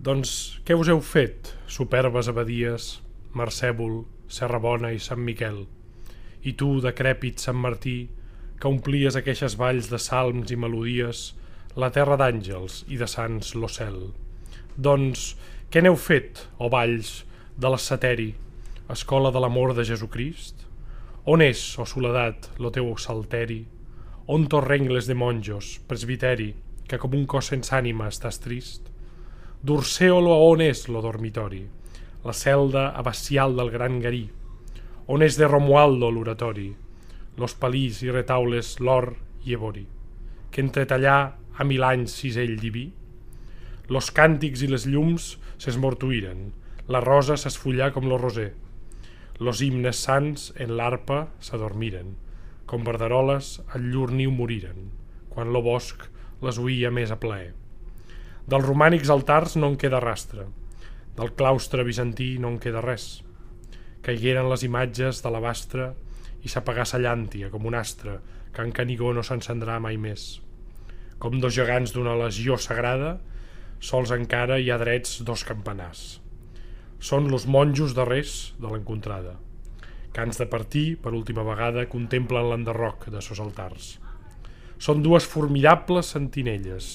Doncs què us heu fet, superbes abadies, Marcèvol, Serrabona i Sant Miquel? I tu, decrèpit Sant Martí, que omplies aqueixes valls de salms i melodies, la terra d'àngels i de sants lo cel. Doncs què n'heu fet, o valls de l'Asceteri, escola de l'amor de Jesucrist? On és, o soledat, lo teu salteri? On torrengles de monjos, presbiteri, que com un cos sense ànima estàs trist? D'Urseolo on és lo dormitori, la celda abacial del gran Garí? On és de Romualdo l'oratori, los palís i retaules l'or i evori, que entretallà a 1000 anys cisell diví? Los càntics i les llums s'esmortuïren, la rosa s'esfullà com lo roser, los himnes sants en l'arpa s'adormiren, com verderoles al llur niu moriren, quan lo bosc les oïa més a plaer. Dels romànics altars no en queda rastre, del claustre bizantí no en queda res. Caigueren les imatges de l'abastre i s'apagà sa llàntia com un astre que en Canigó no s'encendrà mai més. Com dos gegants d'una legió sagrada, sols encara hi ha drets dos campanars. Són los monjos darrers de l'encontrada, que ans de partir, per última vegada, contemplen l'enderroc de sos altars. Són dues formidables sentinelles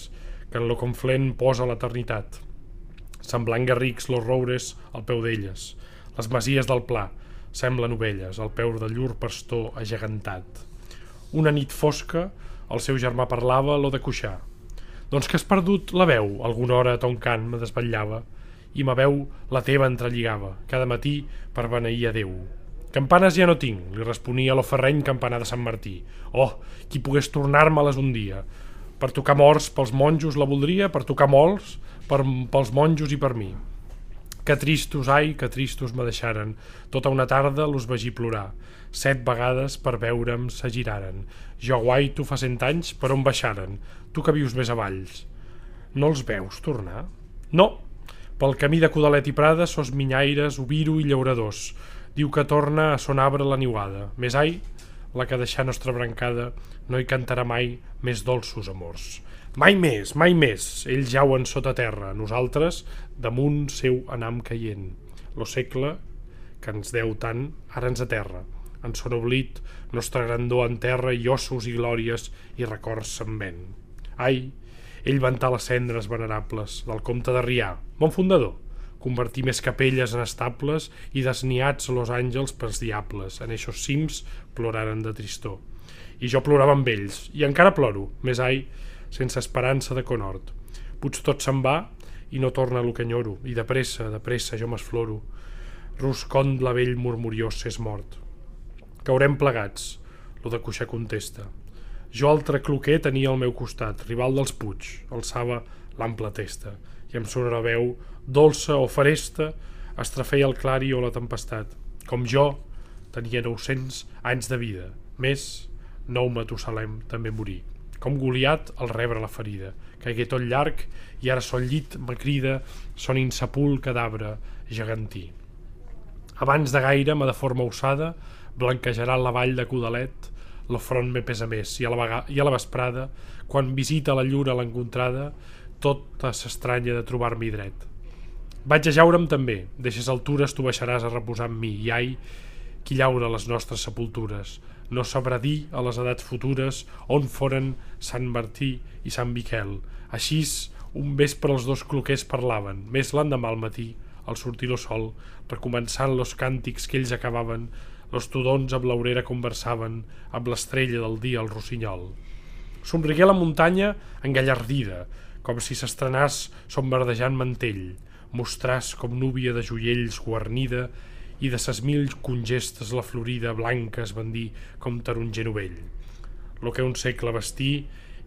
que en lo conflent posa l'eternitat, semblant garrics los roures al peu d'elles. Les masies del pla semblen ovelles al peu de llur pastor agegantat. Una nit fosca el seu germà parlava lo de Cuixà. Doncs que has perdut la veu, alguna hora a ton cant me desvetllava i ma veu la teva entrelligava cada matí per beneir a Déu. Campanes ja no tinc, li responia lo ferreny campanar de Sant Martí. Oh, qui pogués tornar-me-les un dia. Per tocar morts pels monjos la voldria, per tocar molts pels monjos i per mi. Que tristos, ai, que tristos me deixaren. Tota una tarda los vegi plorar. 7 vegades per veure'm s'agiraren. Jo guaito fa 100 anys per on baixaren. Tu que vius més avalls. No els veus tornar? No, pel camí de Codalet i Prada sos minyaires, oviro i llauradors. Diu que torna a son arbre la niuada. Més ai, la que deixà nostra brancada no hi cantarà mai més dolços amors. Mai més, ells jauen sota terra, nosaltres damunt seu anam caient. Lo segle que ens deu tant, ara ens aterra. En son oblit, nostra grandor enterra i ossos i glòries i records se'n ven. Ai, ell ventà les cendres venerables del comte de Rià, bon fundador, convertir més capelles en estables i desniats los àngels pels diables, en eixos cims ploraren de tristor. I jo plorava amb ells, i encara ploro, més ai, sense esperança de conhort. Puig tot se'n va i no torna lo que enyoro, i de pressa jo m'esfloro. Ruscond la vell murmuriós s'és mort. Caurem plegats, lo de Cuixà contesta. Jo altre cloquer tenia al meu costat, rival dels Puig, alçava l'ample testa, i amb sonora veu, dolça o feresta, estrafeia el clari o la tempestat. Com jo, tenia 900 anys de vida, més, nou Matusalem també morí. Com Goliat al rebre la ferida, caigué tot llarg i ara son llit me crida, son insepul cadàver gegantí. Abans de gaire, de forma usada, blanquejarà la vall de Codalet, lo front me pesa més, i a la vesprada, quan visita la lluna l'encontrada, tota s'estranya de trobar-m'hi dret. Vaig a jaure'm també, d'eixes altures tu baixaràs a reposar amb mi, i ai, qui llaura les nostres sepultures, no sabrà dir a les edats futures on foren Sant Martí i Sant Miquel. Aixís, un vespre els dos cloquers parlaven, més l'endemà al matí, al sortir lo sol, recomençant los càntics que ells acabaven, los tudons amb l'aurera conversaven, amb l'estrella del dia al rossinyol. Somrigué la muntanya engallardida, com si s'estrenàs sombardejant mantell, mostràs com núvia de joiells guarnida i de ses 1000 congestes la florida blanca es bandí com taronger novell. Lo que un segle vestí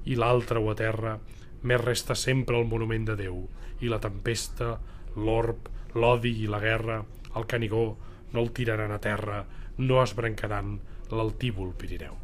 i l'altre ho aterra, més resta sempre el monument de Déu, i la tempesta, l'orb, l'odi i la guerra, el Canigó no el tiraran a terra, no esbrancaran l'altívol Pirineu.